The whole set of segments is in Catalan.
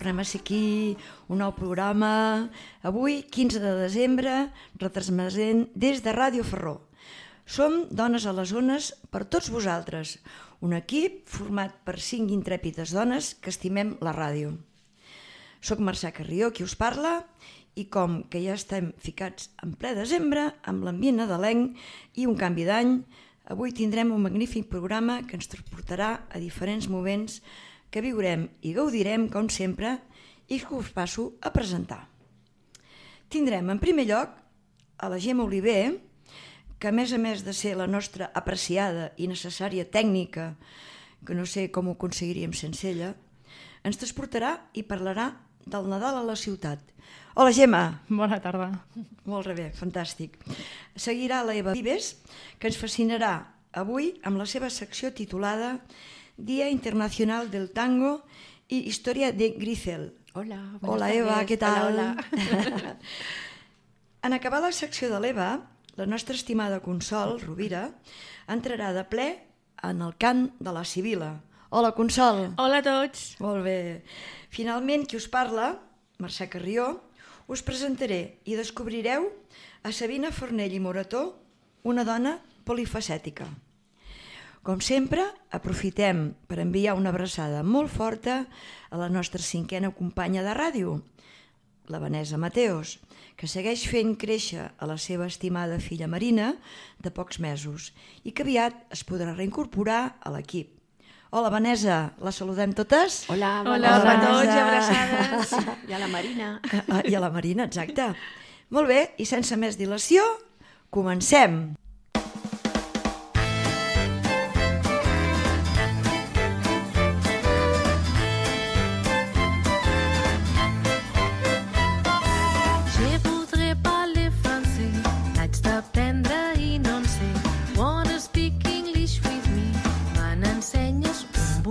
tornem a ser aquí, un nou programa. Avui, 15 de desembre, retransmetent des de Ràdio Ferró. Som Dones a les Ones per tots vosaltres, un equip format per 5 intrèpides dones que estimem la ràdio. Soc Mercè Carrió, qui us parla, i com que ja estem ficats en ple desembre, amb l'ambient nadalenc i un canvi d'any, avui tindrem un magnífic programa que ens transportarà a diferents moments que viurem i gaudirem, com sempre, i que us passo a presentar. Tindrem, en primer lloc, a la Gemma Oliver, que a més de ser la nostra apreciada i necessària tècnica, que no sé com ho aconseguiríem sense ella, ens transportarà i parlarà del Nadal a la ciutat. Hola, Gemma! Bona tarda. Molt bé, fantàstic. Seguirà la Eva Vives, que ens fascinarà avui amb la seva secció titulada Día Internacional del Tango y Historia de Grisel. Hola, hola Eva, què tal? Hola. En acabar la secció de l'Eva, la nostra estimada Consol Rovira entrarà de ple en el cant de la Sibila. Hola, Consol! Hola a tots! Molt bé. Finalment, qui us parla, Mercè Carrió, us presentaré i descobrireu a Sabina Fornell i Morató, una dona polifacètica. Com sempre, aprofitem per enviar una abraçada molt forta a la nostra 5a companya de ràdio, la Vanessa Mateos, que segueix fent créixer a la seva estimada filla Marina de pocs mesos i que aviat es podrà reincorporar a l'equip. Hola, Vanessa, la saludem totes? Hola, hola a tots i abraçades. I a la Marina. I a la Marina, exacte. Molt bé, i sense més dilació, comencem!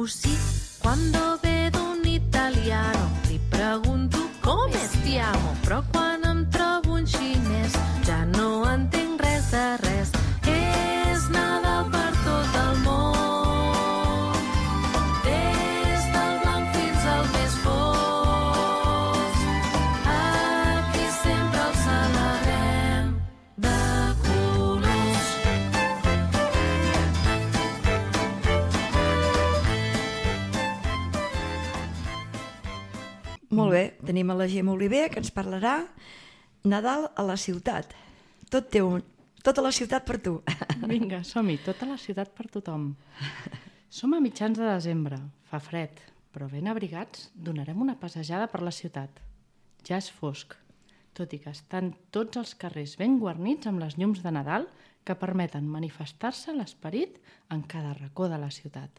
Sí, quando vedo un italiano li pregunto come stiamo, però quan em trobo un xinès ja no entenc res de res. És Nadal per tot el món, des del blanc fins al més fosc. Aquí sempre el celebrem de colors. Molt bé, tenim a la Gemma Oliver que ens parlarà Nadal a la ciutat. Tota la ciutat per tu. Vinga, som-hi, tota la ciutat per tothom. Som a mitjans de desembre, fa fred, però ben abrigats donarem una passejada per la ciutat. Ja és fosc, tot i que estan tots els carrers ben guarnits amb les llums de Nadal que permeten manifestar-se l'esperit en cada racó de la ciutat.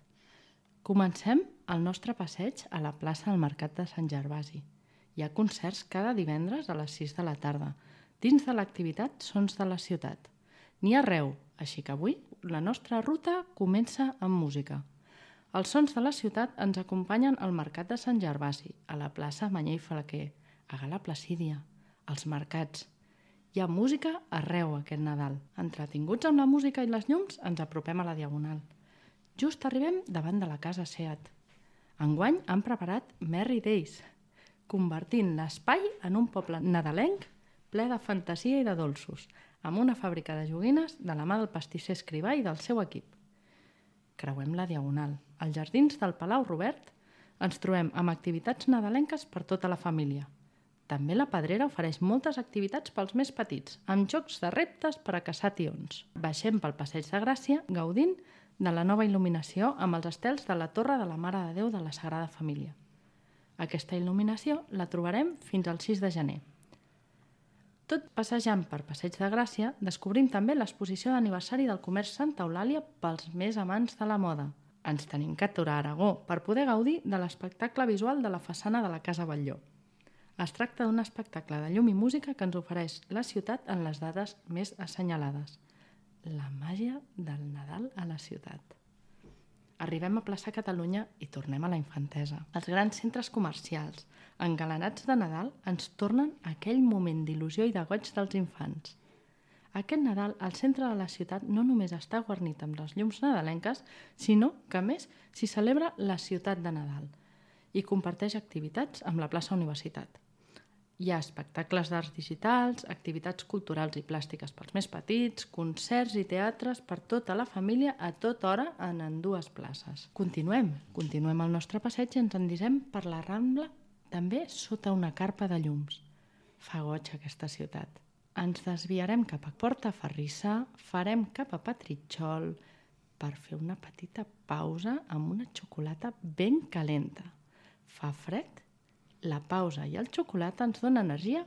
Comencem el nostre passeig a la plaça del Mercat de Sant Gervasi. Hi ha concerts cada divendres a les 6 de la tarda, dins de l'activitat Sons de la Ciutat. N'hi ha arreu, així que avui la nostra ruta comença amb música. Els Sons de la Ciutat ens acompanyen al Mercat de Sant Gervasi, a la plaça Mañé i Flaquer, a Gala Placídia, als mercats. Hi ha música arreu aquest Nadal. Entretinguts amb la música i les llums, ens apropem a la Diagonal. Just arribem davant de la casa Seat. Enguany han preparat Merry Days, convertint l'espai en un poble nadalenc ple de fantasia i de dolços, amb una fàbrica de joguines de la mà del pastisser Escrivà i del seu equip. Creuem la Diagonal. Als jardins del Palau Robert ens trobem amb activitats nadalenques per tota la família. També la Pedrera ofereix moltes activitats pels més petits, amb jocs de reptes per a caçar tions. Baixem pel Passeig de Gràcia, gaudint de la nova il·luminació amb els estels de la Torre de la Mare de Déu de la Sagrada Família. Aquesta il·luminació la trobarem fins al 6 de gener. Tot passejant per Passeig de Gràcia, descobrim també l'exposició d'aniversari del comerç Santa Eulàlia pels més amants de la moda. Ens tenim que aturar a Aragó per poder gaudir de l'espectacle visual de la façana de la Casa Batlló. Es tracta d'un espectacle de llum i música que ens ofereix la ciutat en les dates més assenyalades. La màgia del Nadal a la ciutat. Arribem a plaça Catalunya i tornem a la infantesa. Els grans centres comercials, engalanats de Nadal, ens tornen aquell moment d'il·lusió i de goig dels infants. Aquest Nadal, el centre de la ciutat no només està guarnit amb les llums nadalenques, sinó que, a més, s'hi celebra la ciutat de Nadal. i comparteix activitats amb la plaça Universitat. Hi ha espectacles d'arts digitals, activitats culturals i plàstiques pels més petits, concerts i teatres per tota la família a tota hora en ambdues places. Continuem el nostre passeig i ens endisem per la Rambla, també sota una carpa de llums. Fa goig aquesta ciutat. Ens desviarem cap a Portaferrissa, farem cap a Petritxol per fer una petita pausa amb una xocolata ben calenta. Fa fred? La pausa i el xocolata ens donen energia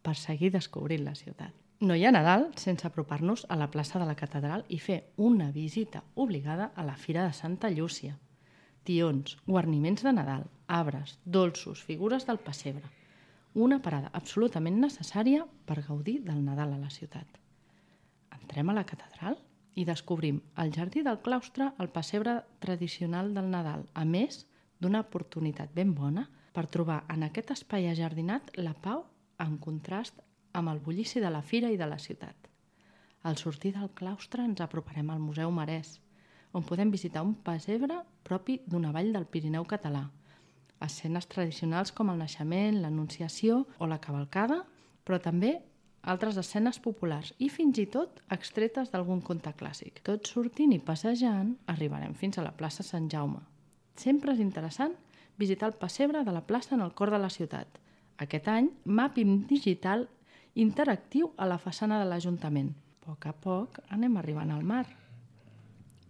per seguir descobrint la ciutat. No hi ha Nadal sense apropar-nos a la plaça de la Catedral i fer una visita obligada a la Fira de Santa Llúcia. Tions, guarniments de Nadal, arbres, dolços, figures del pessebre. Una parada absolutament necessària per gaudir del Nadal a la ciutat. Entrem a la Catedral i descobrim al jardí del claustre el pessebre tradicional del Nadal, a més d'una oportunitat ben bona per trobar en aquest espai ajardinat la pau en contrast amb el bullici de la fira i de la ciutat. Al sortir del claustre ens aproparem al Museu Marès, on podem visitar un pessebre propi d'una vall del Pirineu català. Escenes tradicionals com el naixement, l'anunciació o la cavalcada, però també altres escenes populars i fins i tot extretes d'algun conte clàssic. Tot sortint i passejant arribarem fins a la plaça Sant Jaume. Sempre és interessant visitar el pessebre de la plaça en el cor de la ciutat. Aquest any, màping digital interactiu a la façana de l'Ajuntament. A poc a poc anem arribant al mar.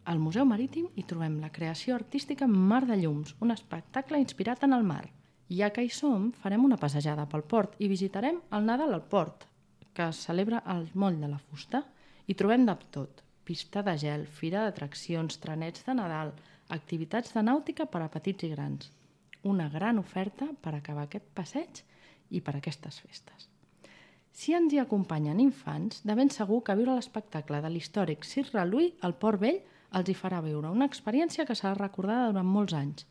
Al Museu Marítim hi trobem la creació artística Mar de Llums, un espectacle inspirat en el mar. Ja que hi som, farem una passejada pel port i visitarem el Nadal al port, que es celebra al moll de la fusta. Hi trobem de tot: pista de gel, fira d'atraccions, trenets de Nadal, activitats de nàutica per a petits i grans. Una gran oferta per acabar aquest passeig i per aquestes festes. Si ens hi acompanyen infants, de ben segur que viure l'espectacle de l'històric Circ Reluí al Port Vell els hi farà viure una experiència que serà recordada durant molts anys.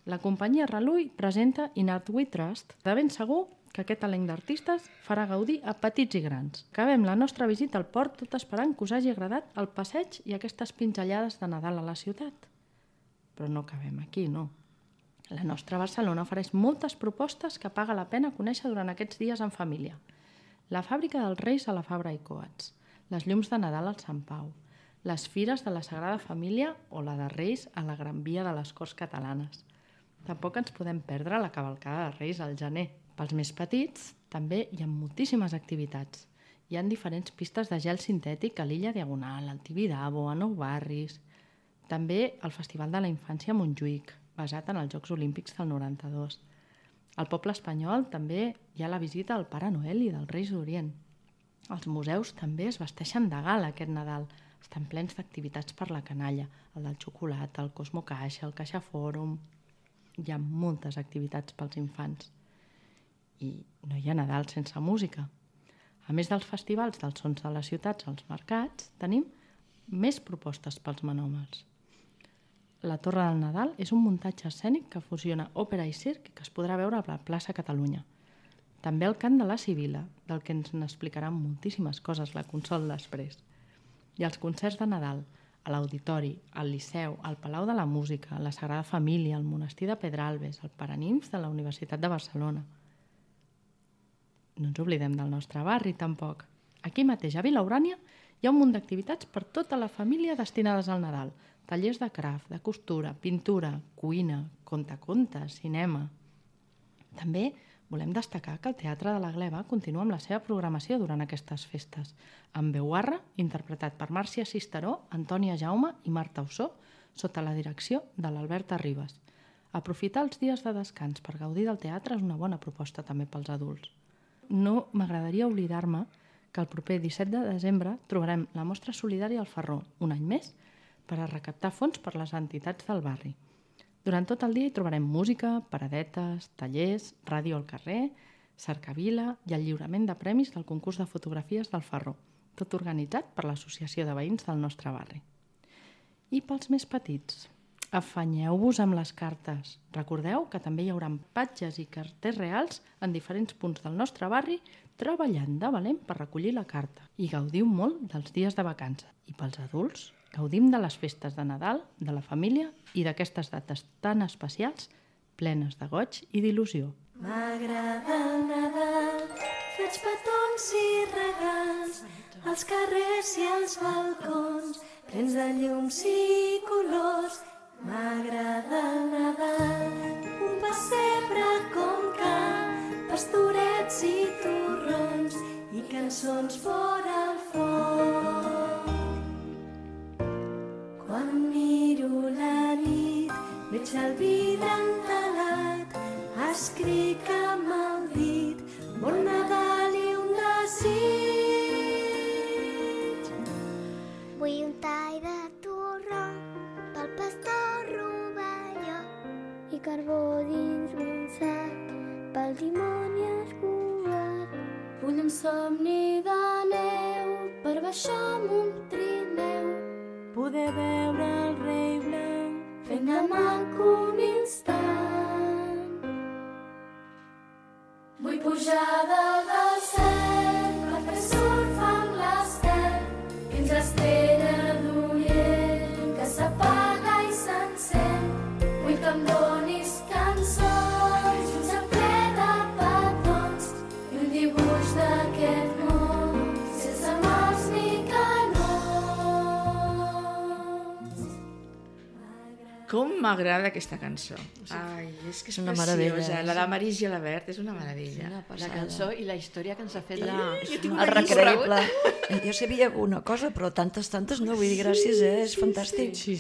La companyia Reluí presenta In Art We Trust. De ben segur que aquest elenc d'artistes farà gaudir a petits i grans. Acabem la nostra visita al port tot esperant que us hagi agradat el passeig i aquestes pinzellades de Nadal a la ciutat. Però no acabem aquí, no. La nostra Barcelona ofereix moltes propostes que paga la pena conèixer durant aquests dies en família. La fàbrica dels Reis a la Fabra i Coats, les llums de Nadal al Sant Pau, les fires de la Sagrada Família o la de Reis a la Gran Via de les Corts Catalanes. Tampoc ens podem perdre la cavalcada de Reis al gener. Pels més petits també hi ha moltíssimes activitats. Hi ha diferents pistes de gel sintètic a l'illa Diagonal, al Tibidabo, a Nou Barris. També el Festival de la Infància a Montjuïc, basat en els Jocs Olímpics del 92. Al poble espanyol també hi ha la visita al Pare Noel i dels Reis d'Orient. Els museus també es vesteixen de gala aquest Nadal. Estan plens d'activitats per la canalla, el del xocolata, el Cosmo Caixa, el Caixa Fòrum. Hi ha moltes activitats pels infants. I no hi ha Nadal sense música. A més dels festivals dels sons de les ciutats als mercats, tenim més propostes pels menòmens. La Torre del Nadal és un muntatge escènic que fusiona òpera i circ que es podrà veure a la plaça Catalunya. També el cant de la Sibila, del que ens n'explicaran moltíssimes coses la Consol després. I els concerts de Nadal, a l'Auditori, al Liceu, al Palau de la Música, la Sagrada Família, al Monestir de Pedralbes, al Paranimf de la Universitat de Barcelona. No ens oblidem del nostre barri, tampoc. Aquí mateix, a Vila Urània, hi ha un munt d'activitats per tota la família destinades al Nadal. Tallers de craft, de costura, pintura, cuina, contacontes, cinema. També volem destacar que el Teatre de la Gleva continua amb la seva programació durant aquestes festes, amb Veuarra, interpretat per Màrcia Cisteró, Antònia Jaume i Marta Ossó, sota la direcció de l'Alberta Ribas. Aprofitar els dies de descans per gaudir del teatre és una bona proposta també pels adults. No m'agradaria oblidar-me que el proper 17 de desembre trobarem la mostra solidària al Ferró, un any més, per a recaptar fons per les entitats del barri. Durant tot el dia hi trobarem música, paradetes, tallers, ràdio al carrer, cercavila i el lliurament de premis del concurs de fotografies del Ferró, tot organitzat per l'Associació de Veïns del nostre barri. I pels més petits, afanyeu-vos amb les cartes. Recordeu que també hi haurà patges i carters reals en diferents punts del nostre barri treballant de valent per recollir la carta. I gaudiu molt dels dies de vacances. I pels adults, gaudim de les festes de Nadal, de la família i d'aquestes dates tan especials plenes de goig i d'il·lusió. M'agrada el Nadal, faig petons i regals, als carrers i als balcons, plens de llums i colors. M'agrada el Nadal, un pessebre com Can, pastorets i torrons i cançons fora al foc. Quan miro la nit, veig el vidre entelat, escric amb el dit, bon Nadal i un desig. Vull un tall de torró pel pastor rovelló i carbó dins un sac pel dimoni escurat. Vull un somni de neu per baixar amb un trineu, poder veure el rei blanc fent de maco un instant. Vull pujar dalt del cel per fer surf amb l'estel fins a Estrella d'Orient que s'apaga i s'encén. Vull que em donis cançons, un ple de petons i un dibuix d'aquest món sense morts ni canons. Com m'agrada aquesta cançó. Ai, és que és una preciosa. meravella. La de Marís i Alabert és una meravella. La cançó i la història que ens ha fet El recreïble. Jo sabia alguna cosa, però tantes no. Vull dir, gràcies, és fantàstic. Sí.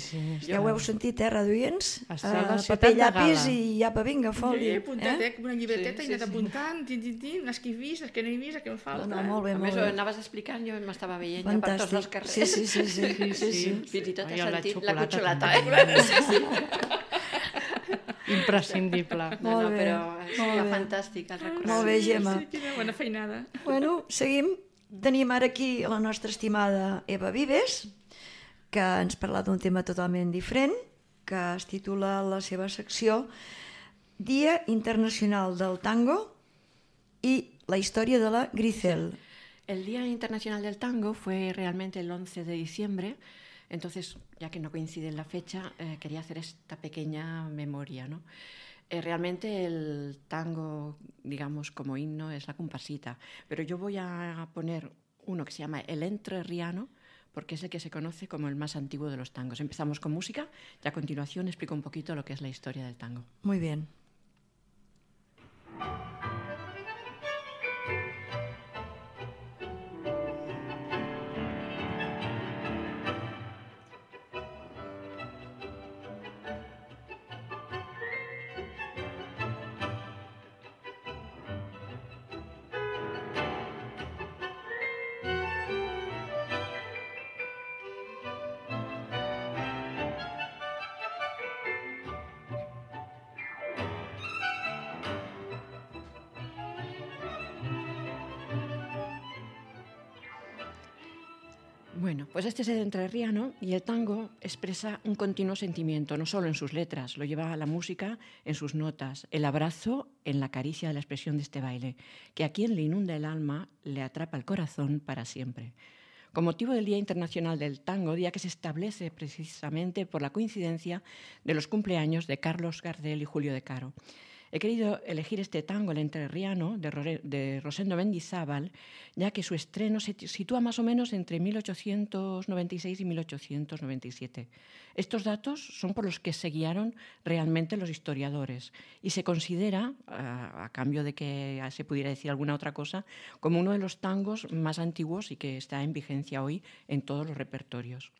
Ja ho heu sentit, radioients? Esteu a la ciutat Paper, de llapis Gala. i llapa, vinga, foli. He apuntat, com una llibreteta, i he anat apuntant, les que he vist, les que no he vist, les que em falta. No, molt bé, A molt més, bé. ho anaves explicant, jo m'estava veient ja per tots els carrers. Sí. Fins i tot Ai, he la sentit la xocolata cotxolata. Imprescindible. No, Molt bé, però molt seria bé. fantàstic el recorregut. Molt bé, Gemma. Sí, quina bona feinada. Bueno, seguim. Tenim ara aquí la nostra estimada Eva Vives, que ens parla d'un tema totalment diferent, que es titula la seva secció Dia Internacional del Tango i la història de la Grisel. El Día Internacional del Tango fue realmente el 11 de diciembre, entonces, ya que no coincide en la fecha, quería hacer esta pequeña memoria, ¿no? Realmente el tango, digamos, como himno es la comparsita, pero yo voy a poner uno que se llama el entrerriano, porque es el que se conoce como el más antiguo de los tangos. Empezamos con música y a continuación explico un poquito lo que es la historia del tango. Muy bien. Bueno, pues este es el entrerriano y el tango expresa un continuo sentimiento, no solo en sus letras, lo lleva a la música en sus notas, el abrazo en la caricia de la expresión de este baile, que a quien le inunda el alma le atrapa el corazón para siempre. Con motivo del Día Internacional del Tango, día que se establece precisamente por la coincidencia de los cumpleaños de Carlos Gardel y Julio De Caro. He querido elegir este tango, el entrerriano, de Rosendo Mendizábal, ya que su estreno se sitúa más o menos entre 1896 y 1897. Estos datos son por los que se guiaron realmente los historiadores y se considera, a cambio de que se pudiera decir alguna otra cosa, como uno de los tangos más antiguos y que está en vigencia hoy en todos los repertorios.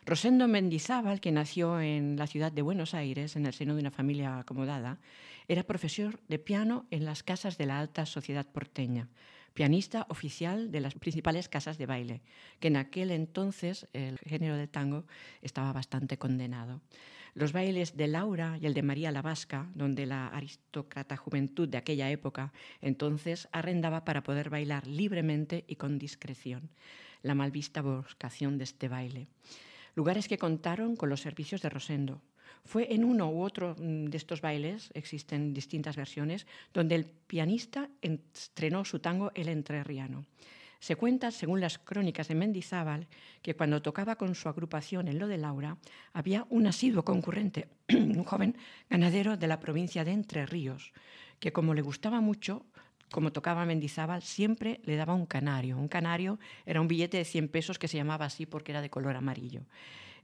Rosendo Mendizábal, que nació en la ciudad de Buenos Aires, en el seno de una familia acomodada, era profesor de piano en las casas de la alta sociedad porteña, pianista oficial de las principales casas de baile, que en aquel entonces el género del tango estaba bastante condenado. Los bailes de Laura y el de María la Vasca, donde la aristócrata juventud de aquella época entonces arrendaba para poder bailar libremente y con discreción, la mal vista vocación de este baile. Lugares que contaron con los servicios de Rosendo. Fue en uno u otro de estos bailes, existen distintas versiones, donde el pianista estrenó su tango El Entrerriano. Se cuenta, según las crónicas de Mendizábal, que cuando tocaba con su agrupación en Lo de Laura, había un asiduo concurrente, un joven ganadero de la provincia de Entre Ríos, que como le gustaba mucho, como tocaba Mendizábal, siempre le daba un canario. Un canario era un billete de 100 pesos que se llamaba así porque era de color amarillo.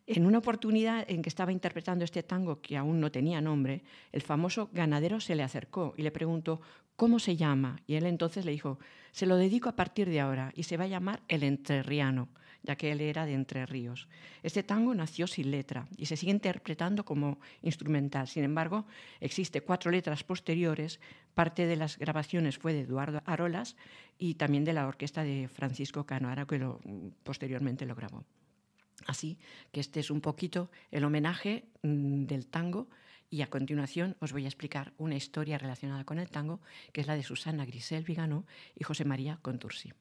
En una oportunidad en que estaba interpretando este tango que aún no tenía nombre, el famoso ganadero se le acercó y le preguntó ¿cómo se llama? Y él entonces le dijo, se lo dedico a partir de ahora y se va a llamar El Entrerriano, ya que él era de Entre Ríos. Este tango nació sin letra y se sigue interpretando como instrumental. Sin embargo, existe 4 letras posteriores. Parte de las grabaciones fue de Eduardo Arolas y también de la orquesta de Francisco Cano Ara, que posteriormente lo grabó. Así que este es un poquito el homenaje del tango y a continuación os voy a explicar una historia relacionada con el tango, que es la de Susana Grisel Viganó y José María Contursi.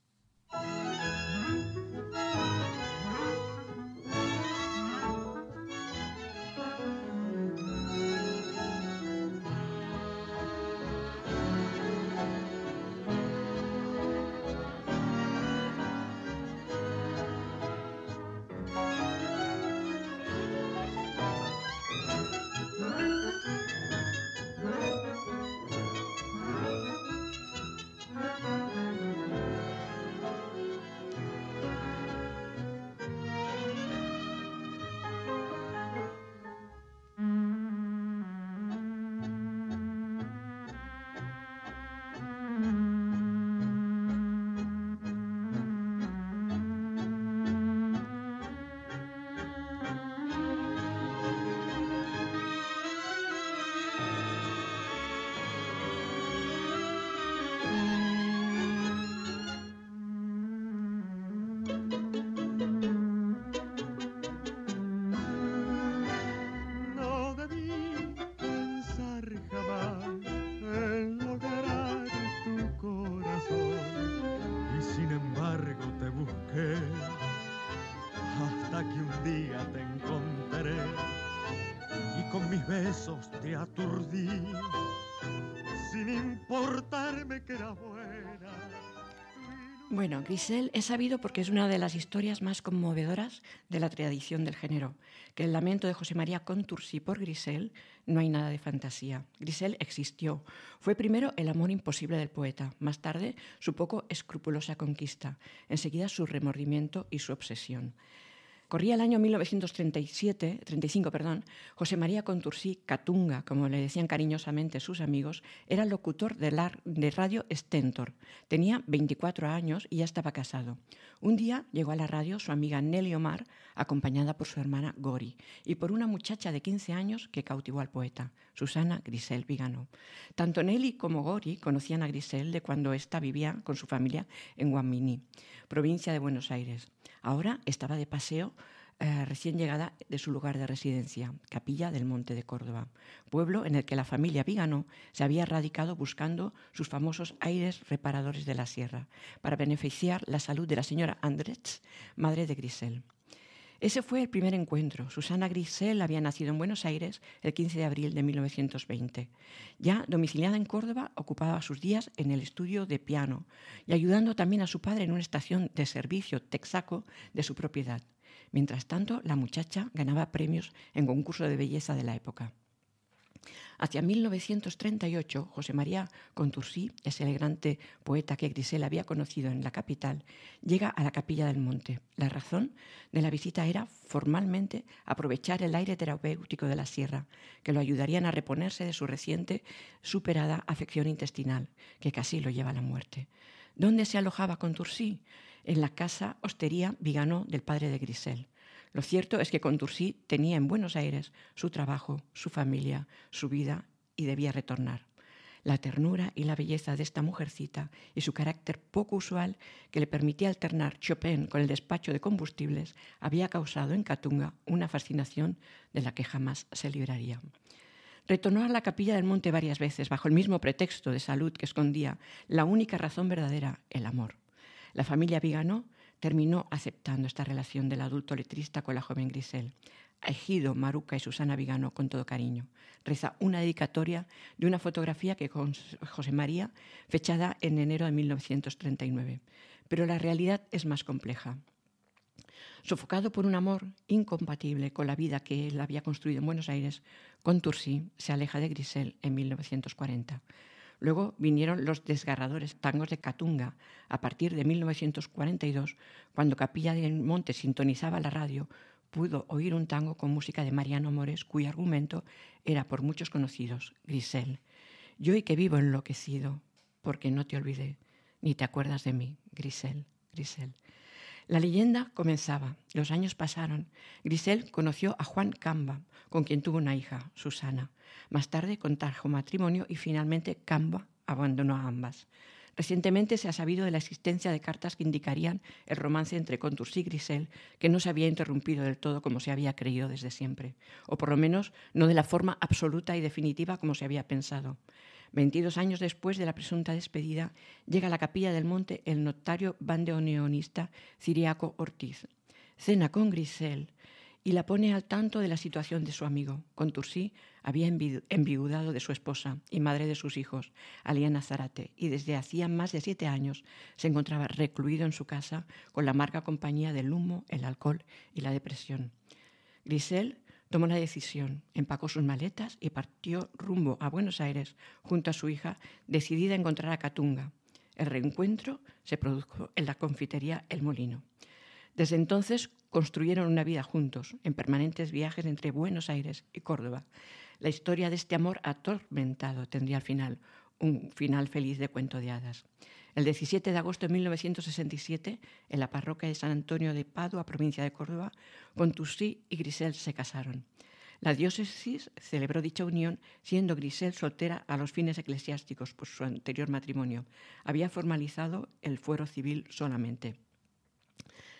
Te aturdí sin importarme que era buena. Bueno, Grisel es sabido porque es una de las historias más conmovedoras de la tradición del género, que el lamento de José María Contursi por Grisel no hay nada de fantasía. Grisel existió. Fue primero el amor imposible del poeta, más tarde su poco escrupulosa conquista, enseguida su remordimiento y su obsesión. Corría el año 1935, José María Contursi Catunga, como le decían cariñosamente sus amigos, era locutor de radio Stentor. Tenía 24 años y ya estaba casado. Un día llegó a la radio su amiga Nelly Omar, acompañada por su hermana Gori, y por una muchacha de 15 años que cautivó al poeta, Susana Grisel Viganó. Tanto Nelly como Gori conocían a Grisel de cuando ésta vivía con su familia en Guamini, provincia de Buenos Aires. Ahora estaba de paseo recién llegada de su lugar de residencia, Capilla del Monte de Córdoba, pueblo en el que la familia Viganó se había radicado buscando sus famosos aires reparadores de la sierra, para beneficiar la salud de la señora Andrets, madre de Grisel. Ese fue el primer encuentro. Susana Grisel había nacido en Buenos Aires el 15 de abril de 1920. Ya domiciliada en Córdoba, ocupaba sus días en el estudio de piano y ayudando también a su padre en una estación de servicio Texaco de su propiedad. Mientras tanto, la muchacha ganaba premios en concurso de belleza de la época. Hacia 1938, José María Contursi, ese elegante poeta que Grisel había conocido en la capital, llega a la Capilla del Monte. La razón de la visita era formalmente aprovechar el aire terapéutico de la sierra, que lo ayudarían a reponerse de su reciente superada afección intestinal, que casi lo lleva a la muerte. ¿Dónde se alojaba Contursi? En la casa hostería Viganó del padre de Grisel. Lo cierto es que Contursi tenía en Buenos Aires su trabajo, su familia, su vida y debía retornar. La ternura y la belleza de esta mujercita y su carácter poco usual que le permitía alternar Chopin con el despacho de combustibles había causado en Catunga una fascinación de la que jamás se libraría. Retornó a la Capilla del Monte varias veces bajo el mismo pretexto de salud que escondía la única razón verdadera, el amor. La familia Viganó terminó aceptando esta relación del adulto letrista con la joven Grisel. A Egido, Maruca y Susana Viganó con todo cariño. Reza una dedicatoria de una fotografía que con José María, fechada en enero de 1939. pero la realidad es más compleja. Sofocado por un amor incompatible con la vida que él había construido en Buenos Aires, Contursi se aleja de Grisel en 1940. Luego vinieron los desgarradores tangos de Catunga. A partir de 1942, cuando Capilla del Monte sintonizaba la radio, pudo oír un tango con música de Mariano Mores, cuyo argumento era por muchos conocidos, Grisel. Yo hoy que vivo enloquecido, porque no te olvidé, ni te acuerdas de mí, Grisel, Grisel. La leyenda comenzaba, los años pasaron. Grisel conoció a Juan Camba, con quien tuvo una hija, Susana. Más tarde contrajo matrimonio y finalmente Camba abandonó a ambas. Recientemente se ha sabido de la existencia de cartas que indicarían el romance entre Contursi y Grisel, que no se había interrumpido del todo como se había creído desde siempre, o por lo menos no de la forma absoluta y definitiva como se había pensado. 22 años después de la presunta despedida, llega a la Capilla del Monte el notario bandoneonista Ciriaco Ortiz. Cena con Grisel y la pone al tanto de la situación de su amigo. Contursi había enviudado de su esposa y madre de sus hijos, Aliana Zárate, y desde hacía más de 7 años se encontraba recluido en su casa con la amarga compañía del humo, el alcohol y la depresión. Grisel tomó la decisión, empacó sus maletas y partió rumbo a Buenos Aires junto a su hija, decidida a encontrar a Catunga. El reencuentro se produjo en la confitería El Molino. Desde entonces construyeron una vida juntos, en permanentes viajes entre Buenos Aires y Córdoba. La historia de este amor atormentado tendría al final un final feliz de cuento de hadas. El 17 de agosto de 1967, en la parroquia de San Antonio de Padua, provincia de Córdoba, Contursi y Grisel se casaron. La diócesis celebró dicha unión, siendo Grisel soltera a los fines eclesiásticos por su anterior matrimonio. Había formalizado el fuero civil solamente.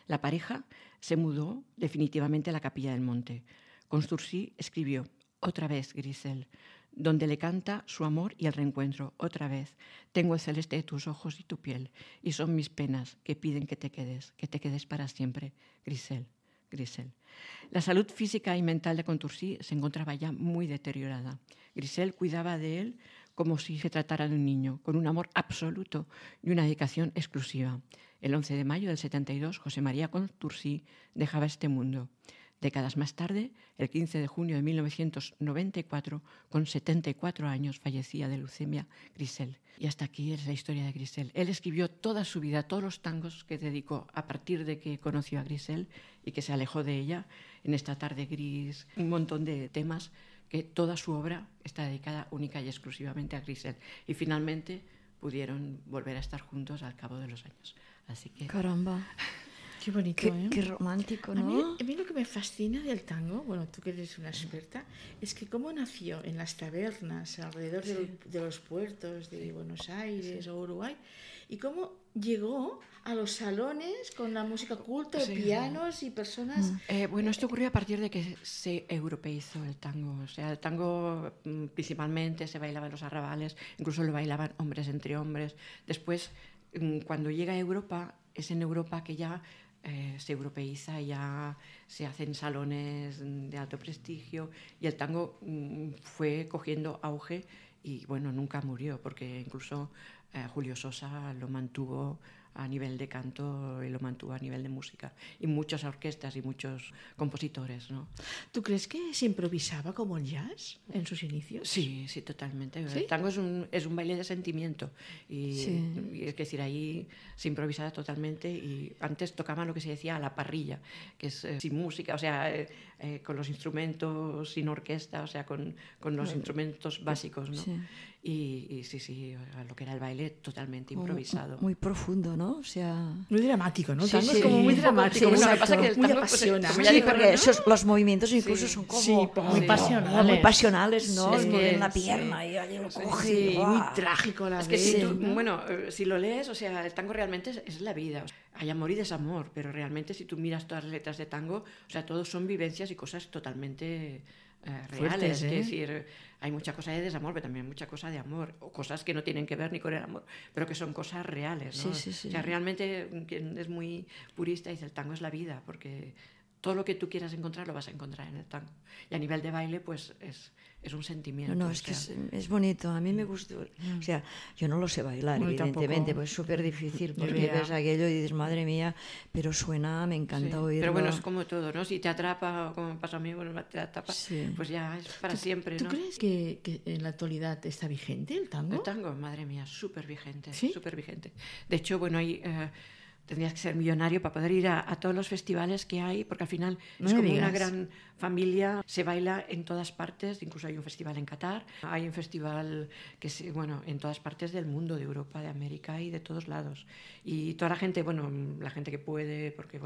La pareja se mudó definitivamente a la Capilla del Monte. Contursi escribió: «Otra vez, Grisel», donde le canta su amor y el reencuentro. «Otra vez, tengo el celeste de tus ojos y tu piel, y son mis penas que piden que te quedes para siempre, Grisel, Grisel». La salud física y mental de Contursi se encontraba ya muy deteriorada. Grisel cuidaba de él como si se tratara de un niño, con un amor absoluto y una dedicación exclusiva. El 11 de mayo del 72, José María Contursi dejaba este mundo. Décadas más tarde, el 15 de junio de 1994, con 74 años, fallecía de leucemia Grisel. Y hasta aquí es la historia de Grisel. Él escribió toda su vida, todos los tangos que dedicó a partir de que conoció a Grisel y que se alejó de ella, en esta tarde gris, un montón de temas, que toda su obra está dedicada única y exclusivamente a Grisel. Y finalmente pudieron volver a estar juntos al cabo de los años. Así que... Caramba. Qué bonito, Qué romántico, ¿no? A mí lo que me fascina del tango, bueno, tú que eres una experta, es que cómo nació en las tabernas alrededor de los puertos de Buenos Aires o Uruguay, y cómo llegó a los salones con la música culta, pianos y personas... Bueno, esto ocurrió a partir de que se europeizó el tango. O sea, el tango principalmente se bailaba en los arrabales, incluso lo bailaban hombres entre hombres. Después, cuando llega a Europa, es en Europa que ya... se europeiza, ya se hacen salones de alto prestigio y el tango fue cogiendo auge y bueno, nunca murió porque incluso Julio Sosa lo mantuvo a nivel de canto y lo mantuvo a nivel de música y muchas orquestas y muchos compositores, ¿no? ¿Tú crees que se improvisaba como el jazz en sus inicios? Sí, sí, totalmente. ¿Sí? El tango es un baile de sentimiento y es decir, ahí se improvisaba totalmente y antes tocaban lo que se decía a la parrilla, que es sin música, o sea, con los instrumentos, sin orquesta, o sea, con los instrumentos básicos, ¿no? Sí. Y sí, lo que era el baile totalmente improvisado. Muy profundo, ¿no? O sea... Muy dramático, ¿no? Sí, Tango es como muy dramático. Sí, bueno, lo que pasa que el muy tango apasiona. Como ya dijo, porque ¿no? los movimientos incluso son como... muy pasionales. Muy pasionales, ¿no? Sí, Es que en la pierna y alguien lo coge. Sí, y, muy trágico a la Es vez. que si tú, ¿no? bueno, si lo lees, o sea, el tango realmente es la vida. O sea, hay amor y desamor, pero realmente si tú miras todas las letras de tango, o sea, todos son vivencias y cosas totalmente reales. Fuertes, Es decir, hay mucha cosa de desamor, pero también mucha cosa de amor, o cosas que no tienen que ver ni con el amor, pero que son cosas reales, ¿no? Sí. O sea, realmente quien es muy purista dice el tango es la vida, porque todo lo que tú quieras encontrar lo vas a encontrar en el tango. Y a nivel de baile, pues es un sentimiento. No, es que es bonito, a mí me gustó. O sea, yo no lo sé bailar, evidentemente, pues es súper difícil, porque ves aquello y dices, madre mía, pero suena, me encanta oírlo. Pero bueno, es como todo, ¿no? Si te atrapa, como me pasa a mí, bueno, te atrapa, pues ya es para siempre, ¿no? ¿Tú crees que en la actualidad está vigente el tango? El tango, madre mía, súper vigente, ¿Sí? súper vigente. De hecho, bueno, hay... tendrías que ser millonario para poder ir a todos los festivales que hay, porque al final es como una gran familia, se baila en todas partes, incluso hay un festival en Qatar, hay un festival que en todas partes del mundo, de Europa, de América y de todos lados. Y toda la gente, la gente que puede, porque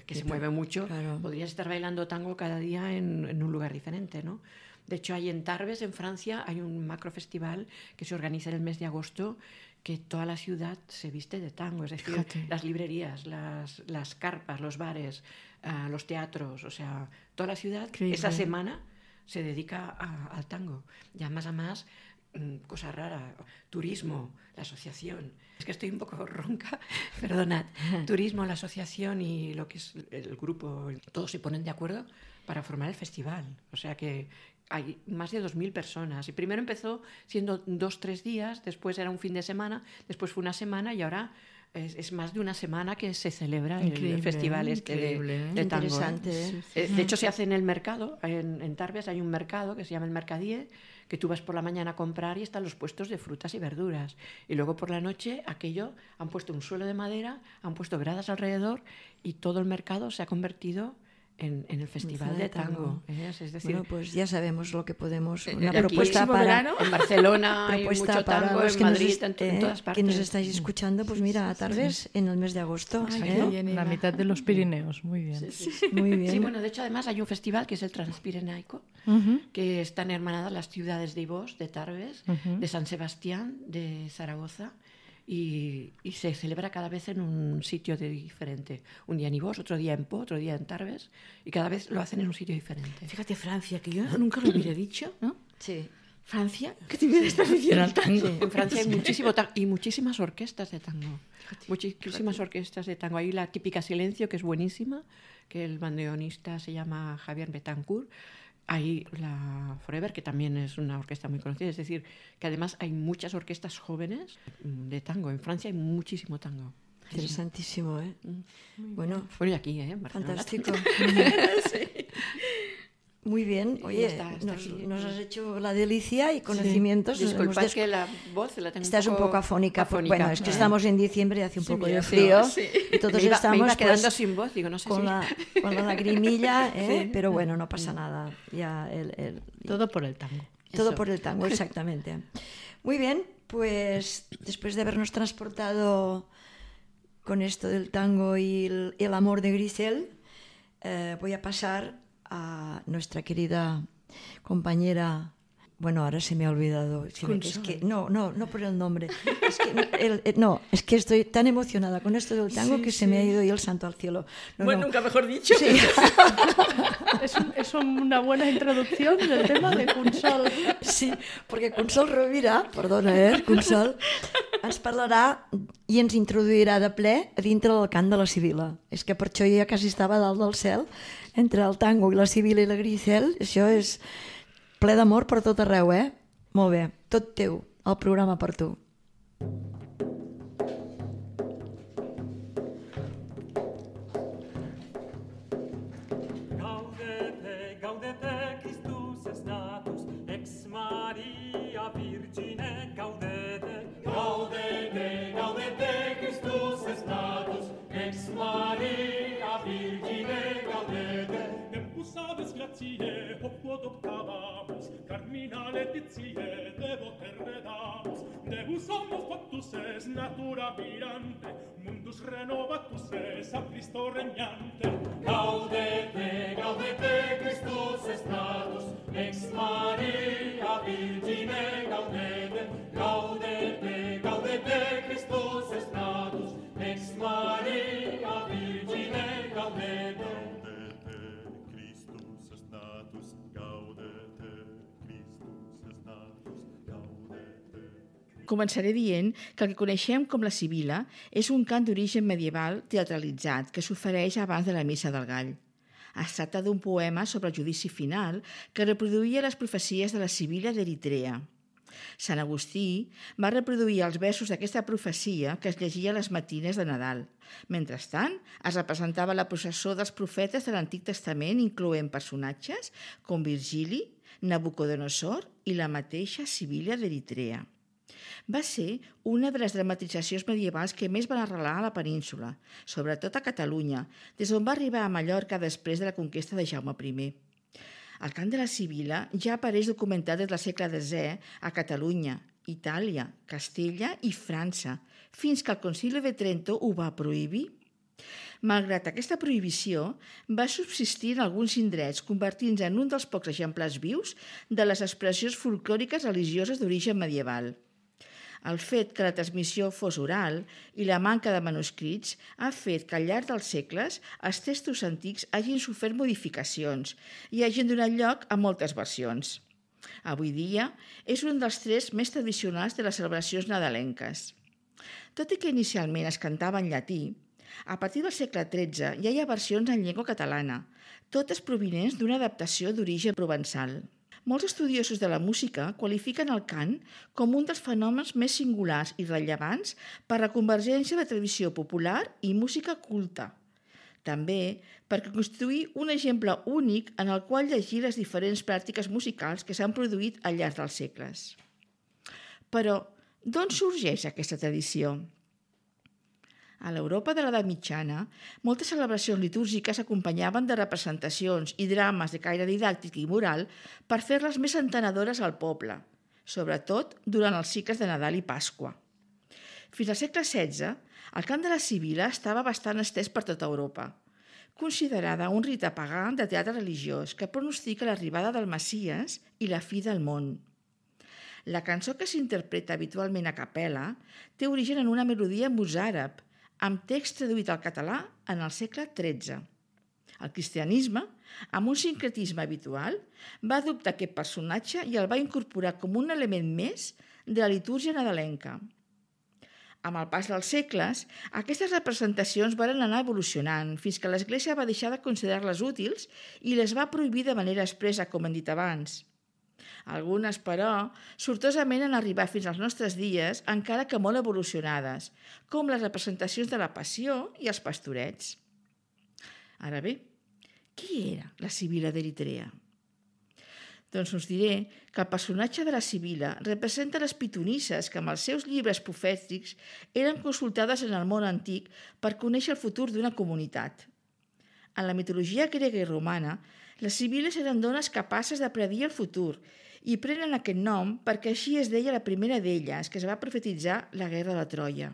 que se mueve mucho, podrías estar bailando tango cada día en un lugar diferente, ¿no? De hecho, hay en Tarbes, en Francia, hay un macrofestival que se organiza en el mes de agosto, que toda la ciudad se viste de tango, es decir, las librerías, las carpas, los bares, los teatros, o sea, toda la ciudad esa semana se dedica al tango. Ya más a más, cosa rara, turismo, la asociación. Es que estoy un poco ronca, perdonad. Turismo, la asociación y lo que es el grupo, todos se ponen de acuerdo para formar el festival. O sea que hay más de 2.000 personas. Y primero empezó siendo 2-3 días, después era un fin de semana, después fue una semana y ahora es más de una semana que se celebra el festival de tango. Interesante. De hecho, se hace en el mercado. En Tarbes hay un mercado que se llama el Mercadier, que tú vas por la mañana a comprar y están los puestos de frutas y verduras. Y luego por la noche han puesto un suelo de madera, han puesto gradas alrededor y todo el mercado se ha convertido en el festival de tango. Es decir, bueno, pues ya sabemos lo que podemos... Una aquí, propuesta para... En Barcelona hay mucho tango, en Madrid, en todas partes. Que nos estáis escuchando, pues mira, a Tarbes en el mes de agosto. La mitad de los Pirineos, muy bien. Muy bien. Sí, bueno, de hecho además hay un festival que es el Transpirenaico, que están hermanadas las ciudades de Ibós, de Tarbes, de San Sebastián, de Zaragoza, y se celebra cada vez en un sitio diferente. Un día en Ibós, otro día en Po, otro día en Tarbes, y cada vez lo hacen en un sitio diferente. Fíjate, Francia, que yo nunca lo hubiera dicho, ¿no? Sí. Francia, ¿qué te hubiera estado diciendo al tango? Sí. En Francia hay muchísimo tango y muchísimas orquestas de tango. Muchísimas orquestas de tango. Hay la típica Silencio, que es buenísima, que el bandoneonista se llama Javier Betancourt. Hay la Forever, que también es una orquesta muy conocida. Es decir, que además hay muchas orquestas jóvenes de tango. En Francia hay muchísimo tango. Interesantísimo, ¿eh? Bueno, y aquí, ¿eh? Fantástico. Sí. Muy bien. Oye, nos has hecho la delicia y conocimientos. Sí. Disculpad que la voz la tengo Estás un poco afónica. Bueno, es que estamos en diciembre y hace un poco de frío. Sí. Y todos me iba quedando sin voz, digo, no sé con la lagrimilla, pero bueno, no pasa nada. Ya todo por el tango. Todo por el tango, exactamente. Muy bien, pues después de habernos transportado con esto del tango y el amor de Grisel, voy a pasar a nuestra querida compañera. Bueno, ahora se me ha olvidado. Es que, no por el nombre. Es que estoy tan emocionada con esto del tango que se me ha ido y el santo al cielo. Nunca mejor dicho. Sí. Es una buena introducción del tema de Consol. Sí, perquè Consol Rovira, perdona, Consol, ens parlarà i ens introduirà de ple a dintre del cant de la Sibila. És que per això jo ja quasi estava a dalt del cel, entre el tango i la Sibila i la Grisel. Això és ple d'amor per tot arreu, eh? Molt bé, tot teu, el programa per tu. Gaudete, gaudete, Christus est natus, ex Maria Virgine, gaudete. Gaudete, gaudete, Christus est natus, ex Maria Virgine, gaudete. Tempus aves gratiae, quod optabamus, carmina laetitie, devote redamus. Deus homo factus es, natura mirante, mundus renovatus es, a Cristo regnante. Gaudete, gaudete, Christus est natus, ex Maria Virgine, gaudete. Gaudete, gaudete, Christus est natus, ex Maria Virgine, gaudete. Començaré dient que el que coneixem com la Sibila és un cant d'origen medieval teatralitzat que s'ofereix abans de la Missa del Gall. Es tracta d'un poema sobre el judici final que reproduïa les profecies de la Sibila d'Eritrea. Sant Agustí va reproduir els versos d'aquesta profecia que es llegia a les matines de Nadal. Mentrestant, es representava la processó dels profetes de l'Antic Testament, incloent personatges com Virgili, Nabucodonosor i la mateixa Sibila d'Eritrea. Va ser una de les dramatitzacions medievals que més van arrelar a la península, sobretot a Catalunya, des d'on va arribar a Mallorca després de la conquesta de Jaume I. El cant de la Sibila ja apareix documentat des del segle X a Catalunya, Itàlia, Castella i França, fins que el Concili de Trento ho va prohibir. Malgrat aquesta prohibició, va subsistir en alguns indrets, convertint-se en un dels pocs exemplars vius de les expressions folclòriques religioses d'origen medieval. El fet que la transmissió fos oral i la manca de manuscrits ha fet que al llarg dels segles els textos antics hagin sofert modificacions i hagin donat lloc a moltes versions. Avui dia és un dels trets més tradicionals de les celebracions nadalenques. Tot i que inicialment es cantava en llatí, a partir del segle XIII ja hi ha versions en llengua catalana, totes provinents d'una adaptació d'origen provençal. Molts estudiosos de la música qualifiquen el cant com un dels fenòmens més singulars i rellevants per la convergència de tradició popular i música culta. També perquè constituir un exemple únic en el qual llegir les diferents pràctiques musicals que s'han produït al llarg dels segles. Però, d'on sorgeix aquesta tradició? A l'Europa de l'edat mitjana, moltes celebracions litúrgiques s'acompanyaven de representacions i drames de caire didàctic i moral per fer-les més entenedores al poble, sobretot durant els cicles de Nadal i Pasqua. Fins al segle XVI, el cant de la Sibila estava bastant estès per tota Europa, considerada un rite pagà de teatre religiós que pronostica l'arribada del Messies i la fi del món. La cançó que s'interpreta habitualment a capella té origen en una melodia mozàrab, amb text traduït al català en el segle XIII. El cristianisme, amb un sincretisme habitual, va adoptar aquest personatge i el va incorporar com un element més de la litúrgia nadalenca. Amb el pas dels segles, aquestes representacions van anar evolucionant fins que l'Església va deixar de considerar-les útils i les va prohibir de manera expressa, com hem dit abans. Algunes, però, sortosament han arribat fins als nostres dies, encara que molt evolucionades, com les representacions de la Passió i els pastorets. Ara bé, qui era la Sibila d'Eritrea? Doncs us diré que el personatge de la Sibila representa les pitonisses que amb els seus llibres profètics eren consultades en el món antic per conèixer el futur d'una comunitat. En la mitologia grega i romana, les sibiles eren dones capaces de predir el futur i prenen aquest nom perquè així es deia la primera d'elles, que es va profetitzar la guerra de Troia.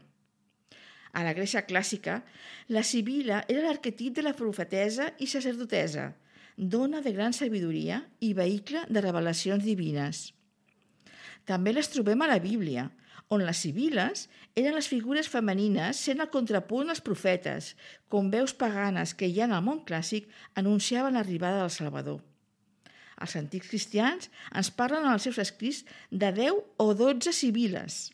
A la Grècia clàssica, la Sibila era l'arquetip de la profetessa i sacerdotessa, dona de gran sabidoria i vehicle de revelacions divines. També les trobem a la Bíblia, on les sibiles eren les figures femenines sent el contrapunt als profetes, com veus paganes que ja en el món clàssic anunciaven l'arribada del Salvador. Els antics cristians ens parlen en els seus escrits de 10 o 12 sibiles.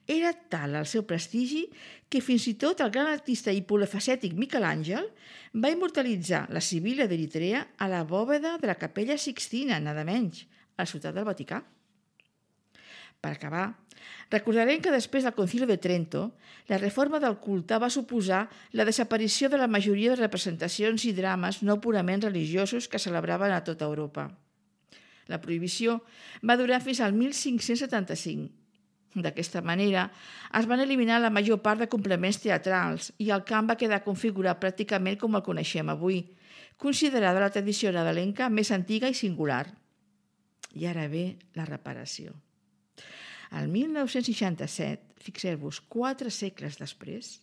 Era tal el seu prestigi que fins i tot el gran artista i polifacètic Miquel Àngel va immortalitzar la Sibila d'Eritrea a la bòveda de la Capella Sixtina, nada menys, a la ciutat del Vaticà. Per acabar, recordarem que després del Concili de Trento, la reforma del culte va suposar la desaparició de la majoria de representacions i drames no purament religiosos que celebraven a tota Europa. La prohibició va durar fins al 1575. D'aquesta manera, es van eliminar la major part de complements teatrals i el cant va quedar configurat pràcticament com el coneixem avui, considerada la tradició nadalenca més antiga i singular. I ara ve la reparació. El 1967, fixeu-vos, 4 segles després,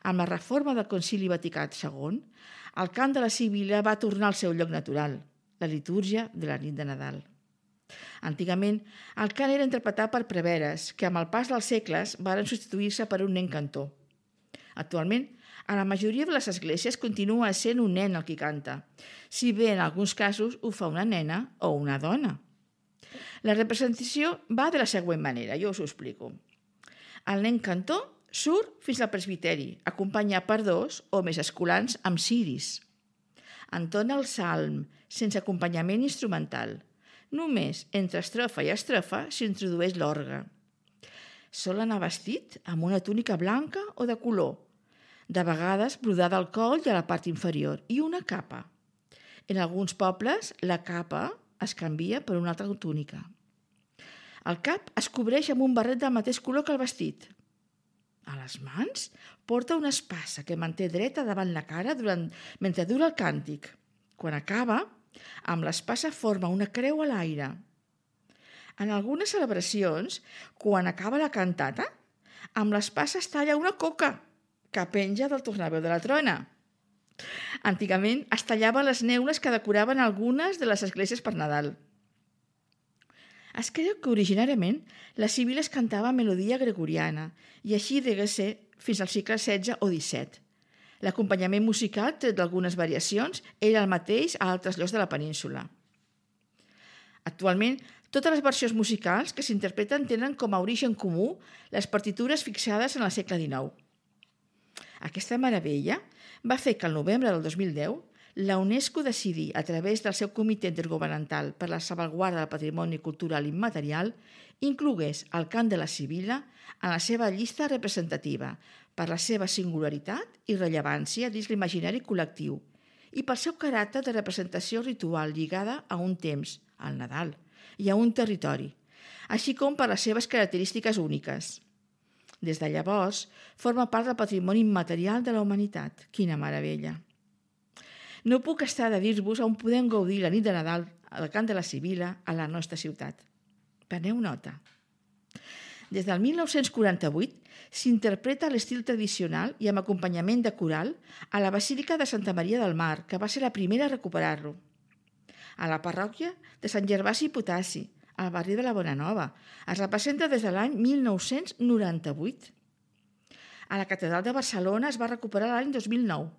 amb la reforma del Concili Vaticà II, el cant de la Sibila va tornar al seu lloc natural, la litúrgia de la nit de Nadal. Antigament, el cant era interpretat per preveres, que amb el pas dels segles varen substituir-se per un nen cantor. Actualment, a la majoria de les esglésies continua sent un nen el qui canta, si bé en alguns casos ho fa una nena o una dona. La representació va de la següent manera, jo us ho explico. El nen cantor surt fins al presbiteri, acompanyat per 2 o més escolans amb ciris. entona el salm, sense acompanyament instrumental. Només entre estrofa i estrofa s'introdueix l'orgue. Sol anar vestit amb una túnica blanca o de color, de vegades brodada al coll i a la part inferior, i una capa. En alguns pobles, la capa es canvia per una altra túnica. El cap es cobreix amb un barret del mateix color que el vestit. A les mans porta una espasa que manté dreta davant la cara mentre dura el càntic. Quan acaba, amb l'espasa forma una creu a l'aire. En algunes celebracions, quan acaba la cantata, amb l'espasa es talla una coca que penja del tornaveu de la trona. Antigament es tallaven les neules que decoraven algunes de les esglésies per Nadal. Es creu que originàriament la sibila es cantava melodia gregoriana i així degué ser fins al segle XVI o XVII. L'acompanyament musical, tret d'algunes variacions, era el mateix a altres llocs de la península. Actualment, totes les versions musicals que s'interpreten tenen com a origen comú les partitures fixades en el segle XIX. Aquesta meravella va fer que el novembre del 2010 la UNESCO decidí, a través del seu Comitè Intergovernamental per la Salvaguarda del Patrimoni Cultural Immaterial, inclogués el cant de la sibila en la seva llista representativa per la seva singularitat i rellevància dins l'imaginari col·lectiu i pel seu caràcter de representació ritual lligada a un temps, al Nadal, i a un territori, així com per les seves característiques úniques. Des de llavors, forma part del patrimoni immaterial de la humanitat. Quina meravella! No puc estar de dir-vos on podem gaudir la nit de Nadal al cant de la sibila a la nostra ciutat. Preneu nota. Des del 1948 s'interpreta a l'estil tradicional i amb acompanyament de coral a la Basílica de Santa Maria del Mar, que va ser la primera a recuperar-lo. A la parròquia de Sant Gervasi i Potassi, al barri de la Bonanova. Es representa des de l'any 1998. A la Catedral de Barcelona es va recuperar l'any 2009.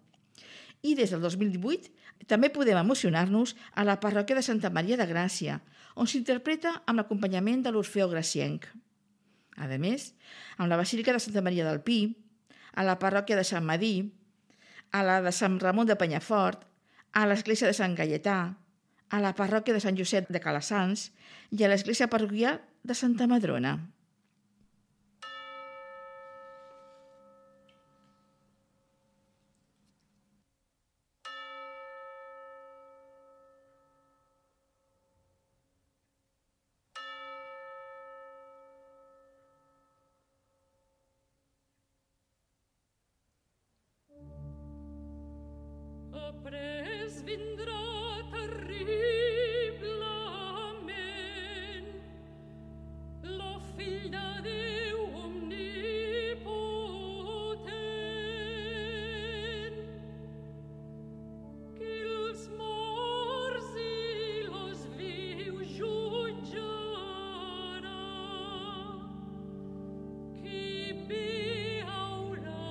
I des del 2018 també podem emocionar-nos a la parròquia de Santa Maria de Gràcia, on s'interpreta amb l'acompanyament de l'Orfeó Gracienc. A més, amb la Basílica de Santa Maria del Pi, a la parròquia de Sant Madí, a la de Sant Ramon de Penyafort, a l'església de Sant Gaietà, a la parròquia de Sant Josep de Calassanç i a l'església parroquial de Santa Madrona. Après vindrà terriblement lo fill de Déu omnipotent, qui els morts i los vius jutjarà, qui bé haurà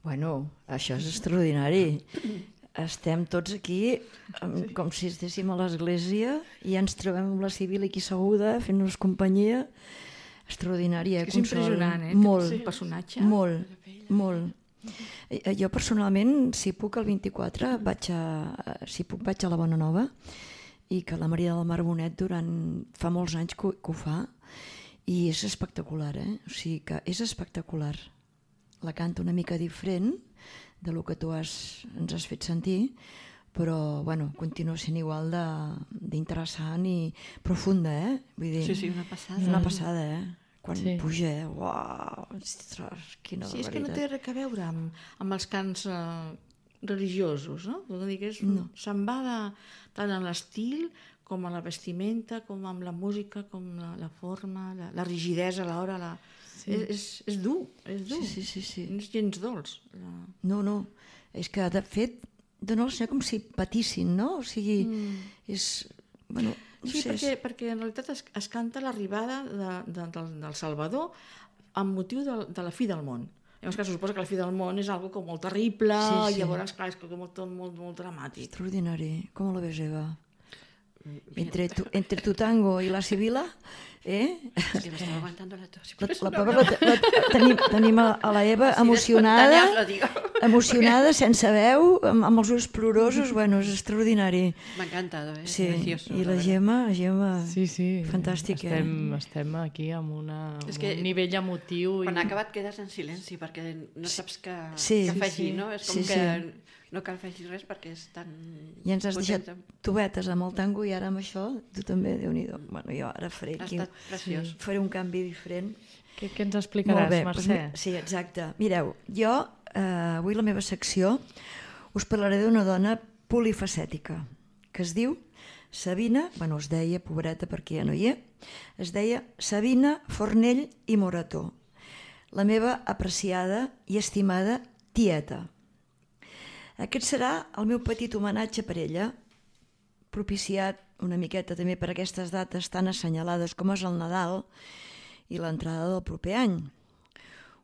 Bueno, això és extraordinari. Estem tots aquí com si estéssim a l'església i ens trobem amb la Sibila aquí asseguda fent-nos companyia. Extraordinària, és impressionant, Molt, el personatge. molt. Jo personalment, si puc el 24, vaig a la Bona Nova, i que la Maria del Mar Bonet fa molts anys que ho fa, i és espectacular, o sigui que és espectacular. La canta una mica diferent de lo que tu ens has fet sentir, però bueno, continua sent igual d'interessant i profunda, vull dir, Sí, una passada. és una passada, quan puja, uau, ostres, quina Sí, és que no té res a veure amb els cants religiosos, no? Vull dir que se'n va tant en l'estil com a la vestimenta, com amb la música, com la forma, la rigidesa a l'hora. És dur, és dur. Sí. No és gens dolç. No, és que de fet dona com si patissin, no? O sigui, és... Bueno, no Sí, sé, perquè en realitat es canta l'arribada del Salvador amb motiu de la fi del món. Llavors, que se suposa que la fi del món és algo com molt terrible, Sí. i llavors, clar, és tot molt dramàtic. extraordinari. Com lo ves, Eva? Entre tu tango i la Sibila, Es que me estaba aguantando la tos. tenim a la Eva emocionada, sense veu, amb els ulls plorosos, bueno, és extraordinari. Me ha encantado, Sí, precioso. i la Gemma, Sí. fantàstic, Estem aquí amb un nivell emotiu. Quan ha acabat quedes en silenci perquè no saps què Sí. afegir, no? És com Sí, que no cal afegir res perquè és tan... I ens has deixat potent. tobetes amb el tango i ara amb això, tu també, Déu-n'hi-do. Bueno, jo ara faré Ha aquí, estat preciós. faré un canvi diferent. Què ens explicaràs, Mercè? Sí, exacte. Mireu, jo avui la meva secció us parlaré d'una dona polifacètica que es diu Sabina, es deia, pobreta perquè ja no hi es deia Sabina Fornell i Morató, la meva apreciada i estimada tieta. Aquest serà el meu petit homenatge per ella, propiciat una miqueta també per aquestes dates tan assenyalades com és el Nadal i l'entrada del proper any.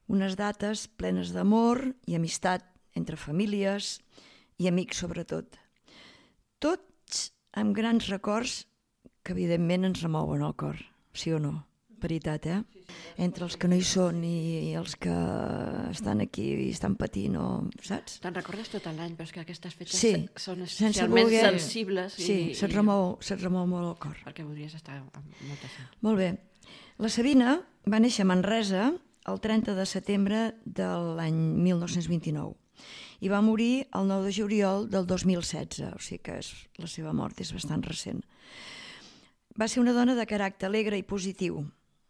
Unes dates plenes d'amor i amistat entre famílies i amics sobretot. Tots amb grans records que evidentment ens remouen el cor, sí o no? Veritat, Entre els que no hi són i els que estan aquí i estan patint, saps? Te'n recordes tot l'any, però és que aquestes fetges són sense especialment voler, sensibles. Sí, se't remou molt el cor. Perquè voldries estar amb molta gent. Molt bé. La Sabina va néixer a Manresa el 30 de setembre de l'any 1929 i va morir el 9 de juliol del 2016, o sigui que la seva mort és bastant recent. Va ser una dona de caràcter alegre i positiu.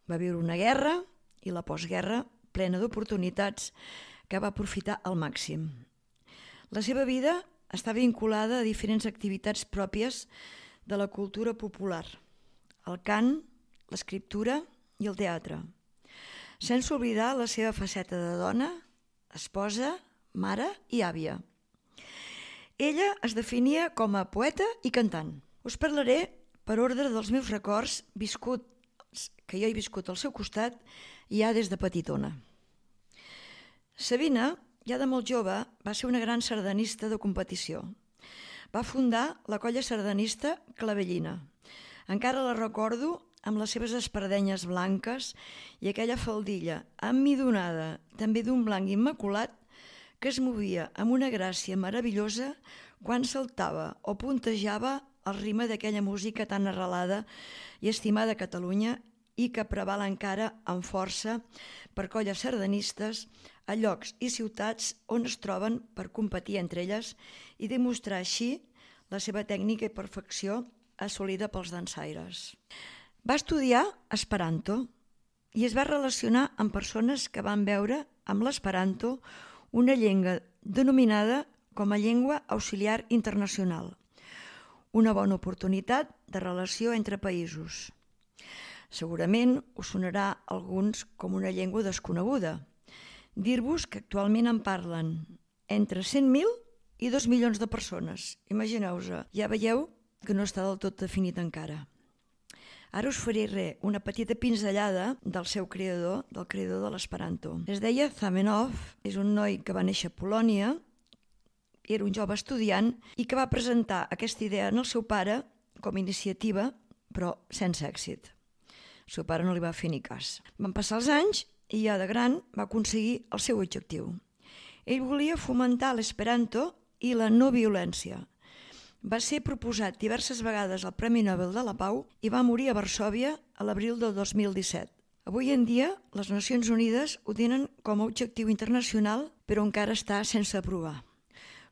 Va viure una guerra i la postguerra plena d'oportunitats que va aprofitar al màxim. La seva vida està vinculada a diferents activitats pròpies de la cultura popular, el cant, l'escriptura i el teatre, sense oblidar la seva faceta de dona, esposa, mare i àvia. Ella es definia com a poeta i cantant. Us parlaré per ordre dels meus records que jo he viscut al seu costat ja des de petitona. Sabina, ja de molt jove, va ser una gran sardanista de competició. Va fundar la colla sardanista Clavellina. Encara la recordo amb les seves espardenyes blanques i aquella faldilla emmidonada, també d'un blanc immaculat, que es movia amb una gràcia meravellosa quan saltava o puntejava el ritme d'aquella música tan arrelada i estimada a Catalunya i que preval encara amb força per colles sardanistes a llocs i ciutats on es troben per competir entre elles i demostrar així la seva tècnica i perfecció assolida pels dansaires. Va estudiar esperanto i es va relacionar amb persones que van veure amb l'esperanto una llengua denominada com a llengua auxiliar internacional, una bona oportunitat de relació entre països. Segurament us sonarà a alguns com una llengua desconeguda. Dir-vos que actualment en parlen entre 100.000 i 2 milions de persones. Imagineu-vos, ja veieu que no està del tot definit encara. Ara us faré una petita pinzellada del seu creador, del creador de l'esperanto. Es deia Zamenhof, és un noi que va néixer a Polònia, era un jove estudiant i que va presentar aquesta idea en el seu pare com a iniciativa, però sense èxit. El seu pare no li va fer ni cas. Van passar els anys i ja de gran va aconseguir el seu objectiu. Ell volia fomentar l'esperanto i la no violència. Va ser proposat diverses vegades al Premi Nobel de la Pau i va morir a Varsòvia a l'abril del 2017. Avui en dia, les Nacions Unides ho tenen com a objectiu internacional, però encara està sense aprovar.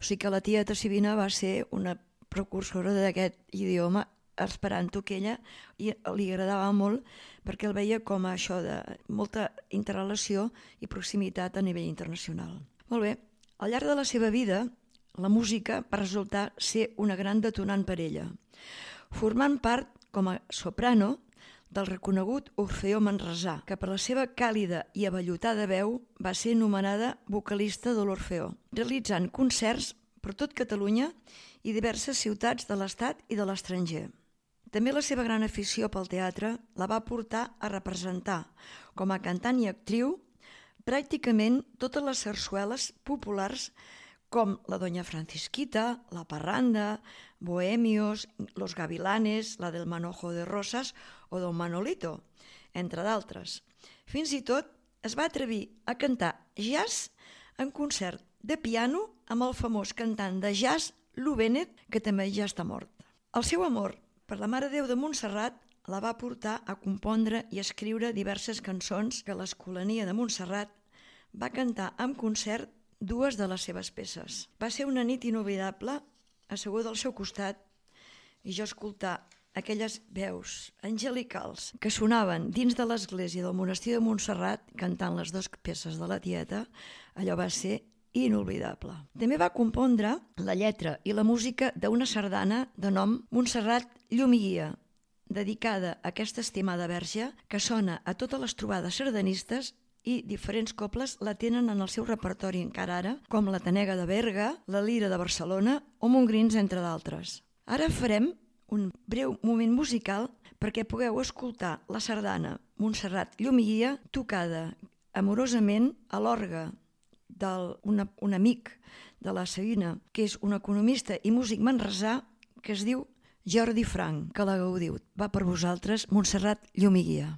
O sigui que la tieta Sabina va ser una precursora d'aquest idioma esperanto, que ella li agradava molt perquè el veia com a això de molta interrelació i proximitat a nivell internacional. Molt bé, al llarg de la seva vida, la música va resultar ser una gran detonant per ella, formant part, com a soprano, del reconegut Orfeó Manresà, que per la seva càlida i avellotada veu va ser nomenada vocalista de l'Orfeó, realitzant concerts per tot Catalunya i diverses ciutats de l'Estat i de l'estranger. També la seva gran afició pel teatre la va portar a representar, com a cantant i actriu, pràcticament totes les sarsueles populars com la Doña Francisquita, la Parranda, Bohemios, Los Gavilanes, la del Manojo de Rosas o Don Manolito, entre d'altres. Fins i tot es va atrevir a cantar jazz en concert de piano amb el famós cantant de jazz Lou Bennett, que també ja està mort. El seu amor per la Mare de Déu de Montserrat la va portar a compondre i escriure diverses cançons que l'Escolania de Montserrat va cantar en concert dues de les seves peces. Va ser una nit inoblidable, assegut al seu costat, i jo escoltar aquelles veus angelicals que sonaven dins de l'església del monestir de Montserrat cantant les dues peces de la tieta, allò va ser inolvidable. També va compondre la lletra i la música d'una sardana de nom Montserrat Llum i Guia, dedicada a aquesta estimada verge que sona a totes les trobades sardanistes i diferents cobles la tenen en el seu repertori encara ara, com la Tanega de Berga, la Lira de Barcelona o Montgrins, entre d'altres. Ara farem un breu moment musical perquè pugueu escoltar la sardana Montserrat Llum i Guia tocada amorosament a l'orgue d'un amic de la Sabina, que és un economista i músic manresà que es diu Jordi Frank, que la gaudiu. Va per vosaltres, Montserrat Llum i Guia.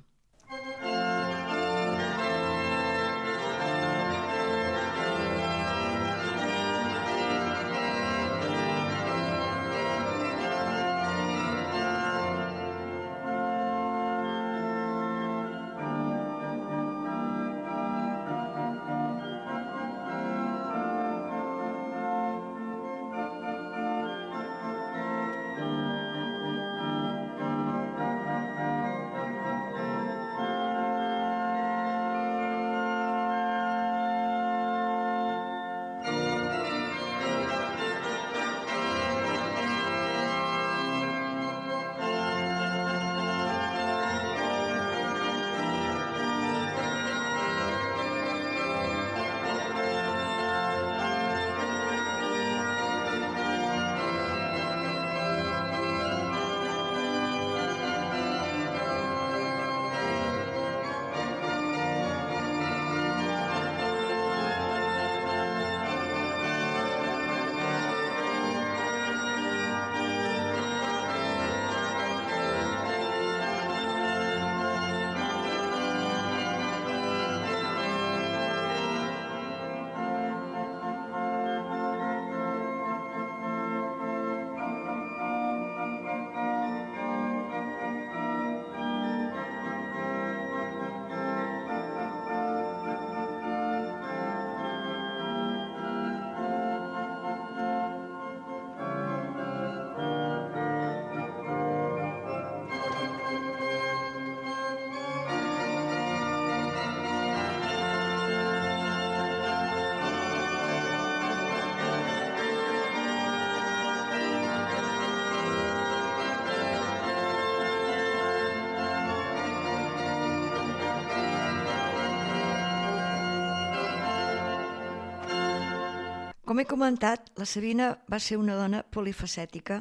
Com he comentat, la Sabina va ser una dona polifacètica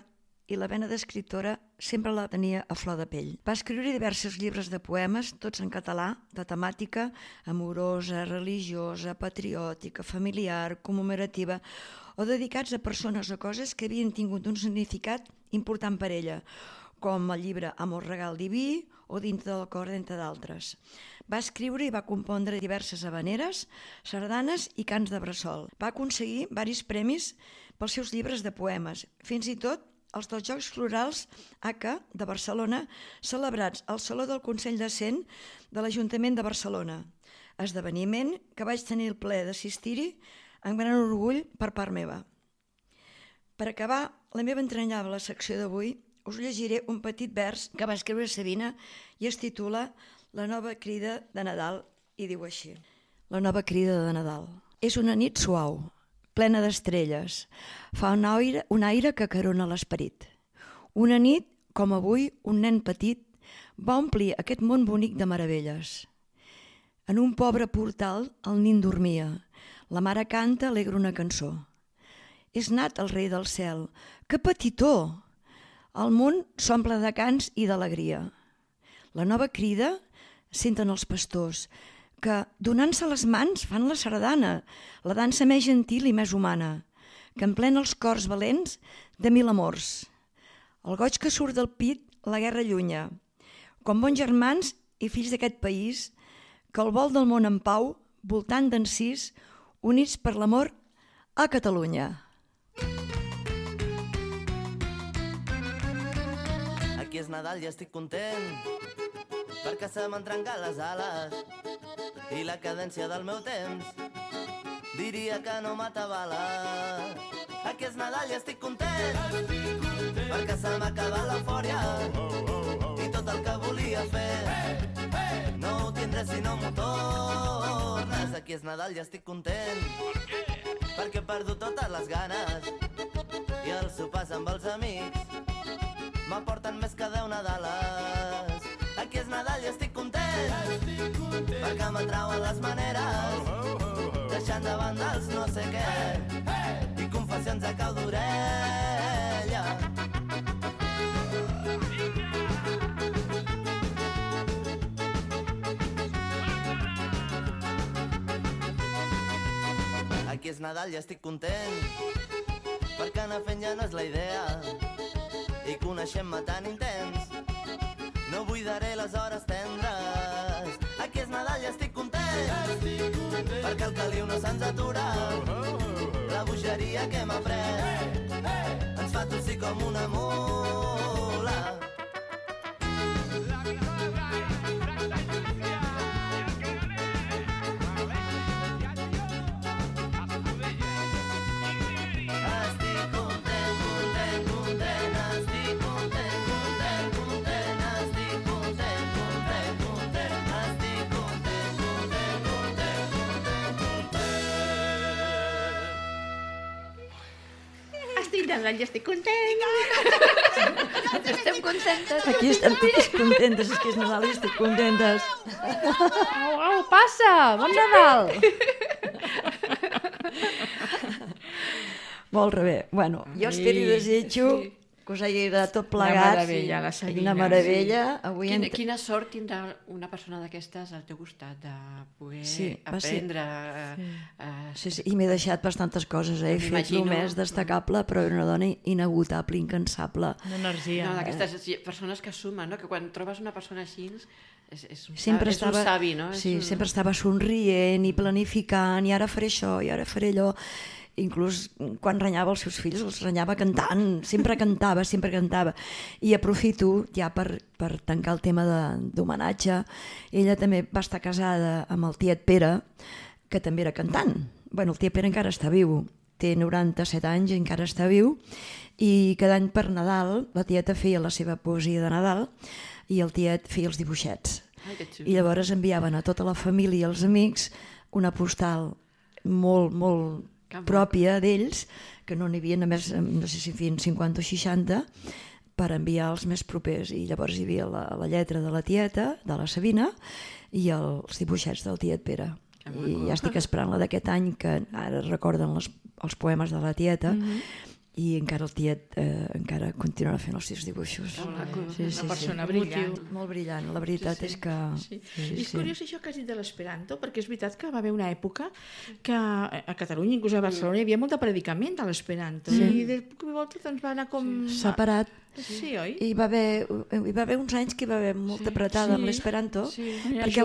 i la vena d'escriptora sempre la tenia a flor de pell. Va escriure diversos llibres de poemes, tots en català, de temàtica amorosa, religiosa, patriòtica, familiar, commemorativa, o dedicats a persones o coses que havien tingut un significat important per ella, com el llibre Amor regal diví o Dintre del cor, entre d'altres. Va escriure i va compondre diverses habaneres, sardanes i cants de bressol. Va aconseguir varis premis pels seus llibres de poemes, fins i tot els dels Jocs Florals ACA de Barcelona, celebrats al Saló del Consell de Cent de l'Ajuntament de Barcelona, esdeveniment que vaig tenir el plaer d'assistir-hi amb gran orgull per part meva. Per acabar la meva entranyable secció d'avui, us llegiré un petit vers que va escriure Sabina i es titula La nova crida de Nadal i diu així. La nova crida de Nadal. És una nit suau, plena d'estrelles. Fa un aire que acarona l'esperit. Una nit, com avui, un nen petit va omplir aquest món bonic de meravelles. En un pobre portal el nin dormia. La mare canta alegre una cançó. És nat el rei del cel. Que petitó! El món s'omple de cants i d'alegria. La nova crida senten els pastors, que, donant-se les mans, fan la sardana, la dansa més gentil i més humana, que emplena els cors valents de mil amors. El goig que surt del pit, la guerra llunya. Com bons germans i fills d'aquest país, que el vol del món en pau, voltant d'encís, units per l'amor a Catalunya. Aquí és Nadal i estic content perquè se m'han trencat les ales i la cadència del meu temps diria que no m'atabala. Aquí és Nadal i estic content perquè se m'ha acabat l'eufòria i tot el que volia fer no ho tindré si no m'ho tornes. Aquí és Nadal i estic content perquè he perdut totes les ganes i els sopars amb els amics m'aporten més que 10 Nadales. Aquí és Nadal i estic content perquè m'atrauen les maneres deixant de banda els no sé què i confessions a cau d'orella. Aquí és Nadal i estic content perquè anar fent ja no és la idea i coneixem-me tan intens no buidaré les hores tendres. Aquí és Nadal i estic content perquè el caliu no se'ns atura la bogeria que hem après ens fa tossir com una mula. Nadal i estic content. Estem contentes. Aquí estem totes contentes, és que és Nadal i estic contentes. Au, au, passa! Bon Nadal! Molt bé. Bueno, jo espero i desitjo que us hagi agradat tot plegat. Una meravella, la Sabina. Una meravella. Avui Quina sort tindrà una persona d'aquestes al teu costat de poder va ser- aprendre... Sí, i m'he deixat bastantes coses, he fet M'imagino. el més destacable, però era una dona inagotable, incansable. Una energia. No, d'aquestes persones que sumen, no? Que quan trobes una persona així és un Sempre savi, no? sempre estava somrient i planificant, i ara faré això, i ara faré allò. Inclús quan renyava els seus fills, els renyava cantant, sempre cantava. I aprofito ja per tancar el tema d'homenatge. Ella també va estar casada amb el tiet Pere, que també era cantant. Bueno, el tiet Pere encara està viu, té 97 anys i encara està viu, i cada any per Nadal la tieta feia la seva poesia de Nadal i el tiet feia els dibuixets. Ai, que xulo. I llavors enviaven a tota la família i els amics una postal molt, molt pròpia d'ells, que no n'hi havia només, no sé si fins 50 o 60, per enviar als més propers. I llavors hi havia la lletra de la tieta, de la Sabina, i els dibuixets del tiet Pere. I ja estic esperant la d'aquest any, que ara recorden els poemes de la tieta, i encara el tiet encara continuarà fent els seus dibuixos. Una persona brillant. Molt brillant, la veritat és que... És curiós això que has dit de l'esperanto, perquè és veritat que va haver una època que a Catalunya, inclús a Barcelona, hi havia molt de predicament de l'esperanto, i de cop i volta doncs va anar com... Separat. Sí, oi? Hi va haver uns anys que hi va haver molta apretada amb l'esperanto, perquè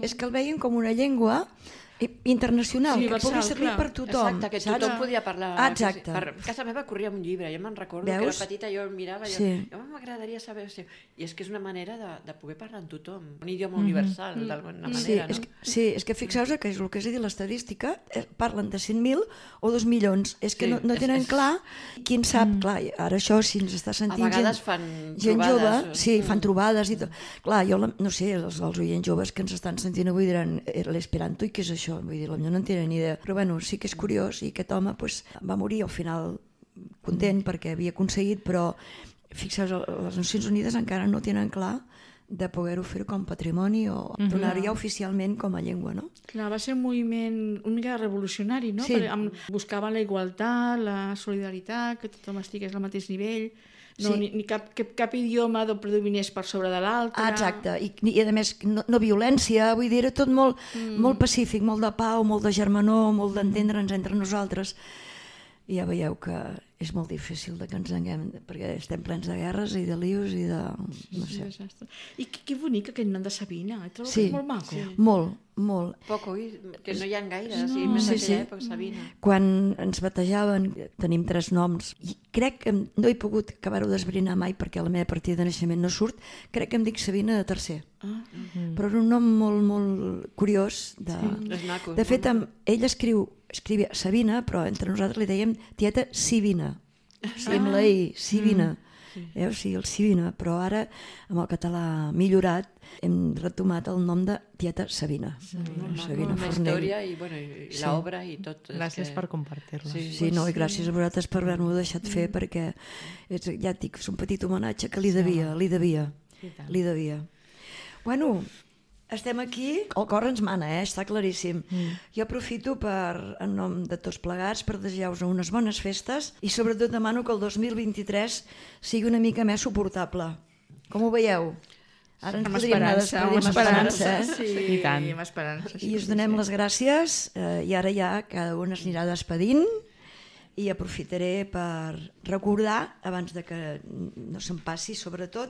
és que el veien com una llengua internacional, que pugui servir per tothom. Exacte, que tothom podia parlar. Exacte. Per casa meva corria un llibre, jo me'n recordo que era petita, jo el mirava i jo m'agradaria saber... I és que és una manera de poder parlar amb tothom, un idioma universal, d'alguna manera, no? Sí, és que fixeu-vos que és el que has dit l'estadística, parlen de 100.000 o 2 milions, és que no tenen clar, qui en sap, clar, ara això si ens està sentint a vegades fan gent trobades, jove, sí, fan trobades i tot. Clar, jo no sé, els oients joves que ens estan sentint avui diran l'esperanto i què és això? Vull dir, potser no en tenen ni idea. Però bueno, sí que és curiós i aquest home va morir al final content perquè havia aconseguit, però fixeu-vos, les Nacions Unides encara no tenen clar de poder-ho fer com patrimoni o donar-ho ja oficialment com a llengua, no? Clar, va ser un moviment una mica revolucionari, no? Sí. Buscaven la igualtat, la solidaritat, que tothom estigués al mateix nivell, ni cap idioma predominés per sobre de l'altre. Exacte, i a més no violència, vull dir, era tot molt pacífic, molt de pau, molt de germanor, molt d'entendre'ns entre nosaltres. I ja veieu que és molt difícil que ens enguem, perquè estem plens de guerres i de lius i de... no sé. I que bonic aquest nom de Sabina, trobo que és molt maco. Molt. Poc, oi? Que no hi ha gaire, més d'aquella època, Sabina. Quan ens batejaven, tenim 3 noms, i crec que no he pogut acabar-ho d'esbrinar mai perquè la meva partida de naixement no surt, crec que em dic Sabina de tercer. Però és un nom molt, molt curiós. De fet, ell escrivia Sabina, però entre nosaltres li dèiem tieta Sibina. Sí, amb la I, Sibina. O sigui, el Sibina, però ara amb el català millorat hem retomat el nom de tieta Sabina. Sabina Fornell. La història i l'obra i tot. Gràcies per compartir-la. Sí, no, i gràcies a vosaltres per haver-m'ho deixat fer, perquè ja et dic, és un petit homenatge que li devia. Bueno, estem aquí, el cor ens mana, està claríssim. Jo aprofito en nom de tots plegats per desejar-vos unes bones festes i sobretot demano que el 2023 sigui una mica més suportable. Com ho veieu? Ara ens podríem anar amb esperança. Sí, i tant. Amb esperança. I us donem les gràcies i ara ja cada un es anirà despedint i aprofitaré per recordar, abans de que no se'm passi, sobretot,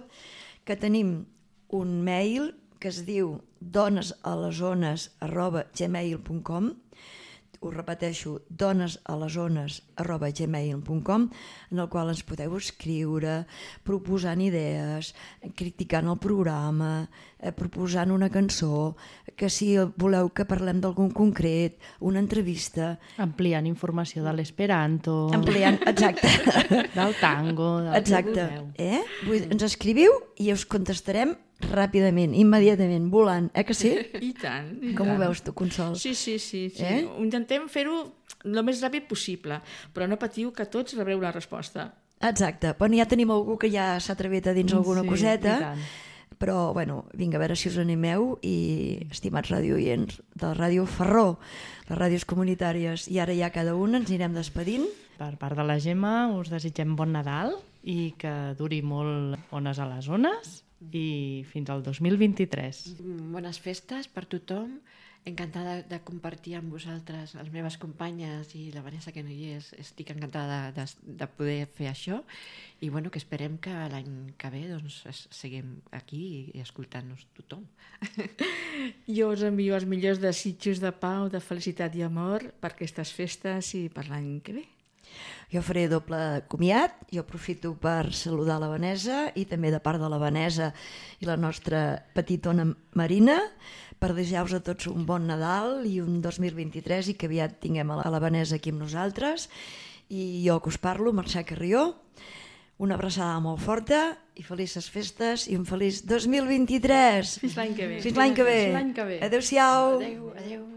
que tenim un mail que es diu donesalesones@gmail.com. Us repeteixo, donesalesones@gmail.com, en el qual ens podeu escriure proposant idees, criticant el programa, proposant una cançó, que si voleu que parlem d'algun concret, una entrevista. Ampliant informació de l'esperanto. Exacte. Del tango, del que vulgueu. Ens escriviu i us contestarem ràpidament, immediatament, volant, que sí? I tant. Com ho veus tu, Consol? Sí. Intentem fer-ho el més ràpid possible, però no patiu que tots rebreu la resposta. Exacte. Bueno, ja tenim algú que ja s'ha atrevit a dins alguna coseta, però, bueno, vinga, a veure si us animeu i, estimats radiooients de Ràdio Ferró, les ràdios comunitàries, i ara ja cada un ens anirem despedint. Per part de la Gemma us desitgem bon Nadal i que duri molt Ones a les Ones i fins al 2023. Bones festes per tothom. Encantada de compartir amb vosaltres, les meves companyes i la Vanessa, que no hi és. Estic encantada de poder fer això i bueno, que esperem que l'any que ve doncs, seguim aquí i escoltant-nos tothom. Jo us envio els millors desitjos de pau, de felicitat i amor per aquestes festes i per l'any que ve. Jo faré doble comiat, jo aprofito per saludar la Vanessa i també de part de la Vanessa i la nostra petitona Marina per desejar-vos a tots un bon Nadal i un 2023 i que aviat tinguem a la Vanessa aquí amb nosaltres. I jo que us parlo, Mercè Carrió, una abraçada molt forta i felices festes i un feliç 2023. Fins l'any que ve. Fins l'any que ve. Adéu-siau. Adéu.